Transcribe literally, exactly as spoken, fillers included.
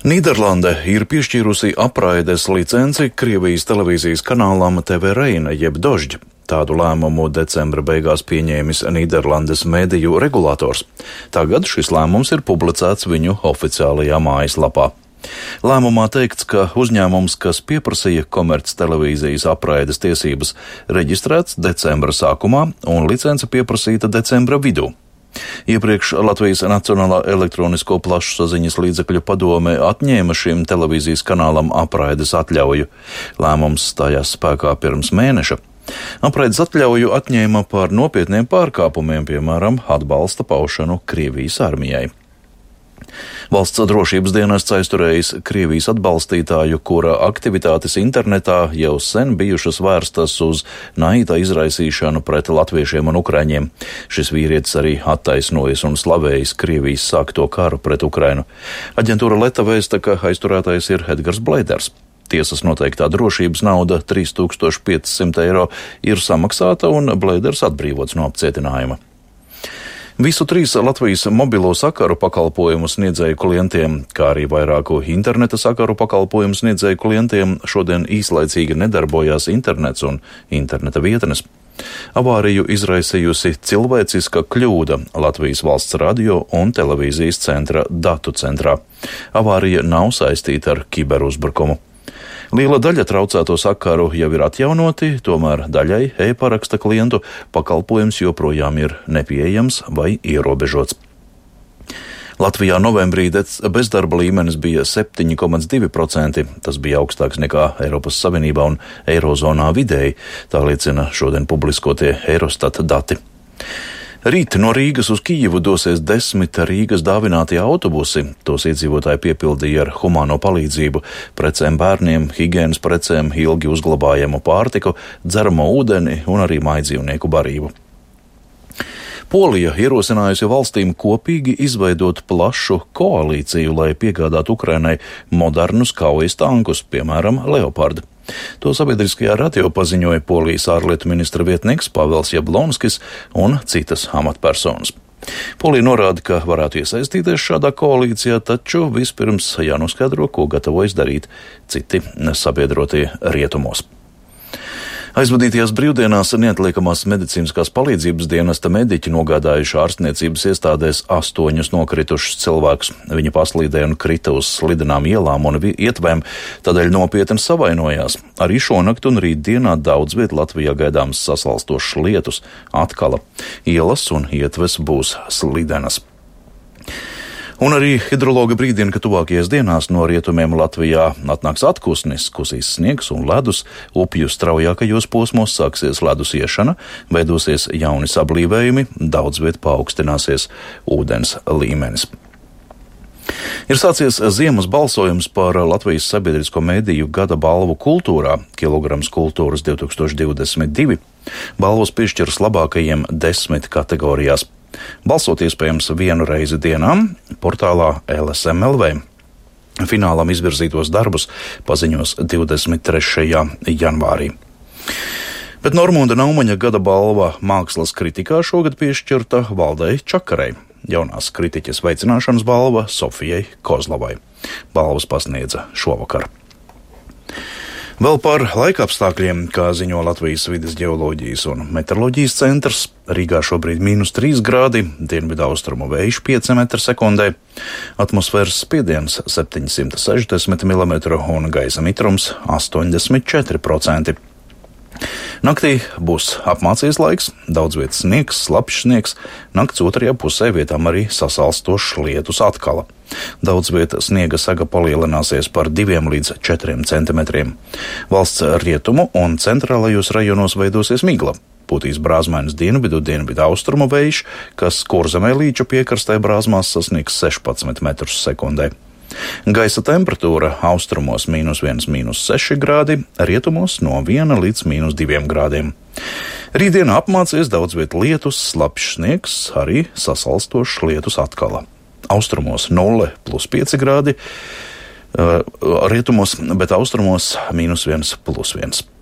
Nīderlande ir piešķīrusi apraides licenci Krievijas televīzijas kanālam T V Reina jeb Dožd. Tādu lēmumu decembra beigās pieņēmis Nīderlandes mediju regulators. Tagad šis lēmums ir publicēts viņu oficiālajā mājaslapā. Lēmumā teikts, ka uzņēmums, kas pieprasīja komerc televīzijas apraides tiesības, reģistrēts decembra sākumā un licence pieprasīta decembra vidū. Iepriekš Latvijas Nacionālā elektronisko plašsaziņas līdzekļu padome atņēma šim televīzijas kanālam apraides atļauju. Lēmums stājās spēkā pirms mēneša. Apraides atļauju atņēma par nopietniem pārkāpumiem, piemēram, atbalsta paušanu Krievijas armijai. Valsts drošības dienests aizturējis Krievijas atbalstītāju, kura aktivitātes internetā jau sen bijušas vērstas uz naida izraisīšanu pret latviešiem un ukraiņiem. Šis vīrietis arī attaisnojas un slavējis Krievijas sākto karu pret Ukrainu. Aģentūra Leta vēsta, ka aizturētais ir Edgars Bleiders. Tiesas noteiktā drošības nauda trīs tūkstoši pieci simti eiro ir samaksāta un Bleiders atbrīvots no apcietinājuma. Visu trīs Latvijas mobilo sakaru pakalpojumu sniedzēju klientiem, kā arī vairāku interneta sakaru pakalpojumu sniedzēju klientiem šodien īslaicīgi nedarbojās internets un interneta vietnes. Avāriju izraisījusi cilvēciska kļūda Latvijas valsts radio un televīzijas centra datu centrā. Avārija nav saistīta ar kiberuzbrukumu. Liela daļa traucēto sakaru jau ir atjaunoti, tomēr daļai e-paraksta klientu pakalpojums joprojām ir nepieejams vai ierobežots. Latvijā novembrī bezdarba līmenis bija septiņi komats divi procenti. Tas bija augstāks nekā Eiropas Savienībā un Eirozonā vidēji, tā liecina šodien publiskotie Eurostat dati. Rīt no Rīgas uz Kijivu dosies desmit Rīgas dāvinātie autobusi. Tos iedzīvotāji piepildīja ar humāno palīdzību, precēm bērniem, higienas precēm, ilgi uzglabājamu pārtiku, dzeramo ūdeni un arī mājdzīvnieku barību. Polija ierosinājusi valstīm kopīgi izveidot plašu koalīciju, lai piegādātu Ukrainai modernus kaujas tankus, piemēram, Leopard. To sabiedriskajā radio paziņoja Polijas ārlietu ministra vietnieks Pavels Jablonskis un citas amatpersonas. Polija norāda, ka varētu iesaistīties šādā koalīcijā, taču vispirms jānoskaidro, ko gatavojas darīt citi sabiedrotie rietumos. Aizvadītajās brīvdienās neatliekamās medicīniskās palīdzības dienesta mediķi nogādājuši ārstniecības iestādēs astoņus nokritušus cilvēkus. Viņi paslīdēja un krita uz slidenām ielām un ietvēm, tādēļ nopietni savainojās. Arī šonakt un rītdienā daudz viet Latvijā gaidāms sasalstošs lietus, atkala. Ielas un ietves būs slidenas. Un arī hidrologi brīdina, ka tuvākajās dienās no rietumiem Latvijā atnāks atkusnis, kusīs sniegs un ledus, upju straujākajos posmos sāksies ledus iešana, veidosies jauni sablīvējumi, daudz viet paaugstināsies ūdens līmenis. Ir sācies ziemas balsojums par Latvijas sabiedrisko mediju gada balvu kultūrā, Kilograms kultūras divi tūkstoši divdesmit divi. Balvas piešķiras labākajiem desmit kategorijās. Balsot iespējams vienu reizi dienā portālā L S M L V. Finālam izvirzītos darbus paziņos divdesmit trešajā janvārī. Bet Normunda Naumaņa gada balva mākslas kritikā šogad piešķirta Valdei Čakarei. Jaunās kritiķes veicināšanas balva Sofijai Kozlovai. Balvas pasniedza šovakar. Vēl par laikapstākļiem, kā ziņo Latvijas vides ģeoloģijas un meteoroloģijas centrs, Rīgā šobrīd mīnus trīs grādi, dienvidu austrumu vējš pieci metri sekundē, atmosfēras spiediens septiņsimt sešdesmit milimetru un gaisa mitrums astoņdesmit četri procenti. Naktī būs apmācies laiks, daudz vietas sniegs, slapjš sniegs, nakts otrajā pusē vietām arī sasalstošs lietus atkala. Daudz vietas sniega saga palielināsies par diviem līdz četriem centimetriem. Valsts rietumu un centrālajos rajonos veidosies migla. Pūtīs brāzmainas dienvidu, dienvidu austrumu vējš, kas Kurzemē līča piekrastē brāzmās sasniegs sešpadsmit metrus sekundē. Gaisa temperatūra austrumos mīnus viens, mīnus seši grādi, rietumos no viena līdz mīnus diviem grādiem. Rītdienā apmācies daudz viet lietus, slapjš sniegs, arī sasalstošs lietus atkala. Austrumos nulle plus pieci grādi, rietumos, bet austrumos mīnus viens plus viens.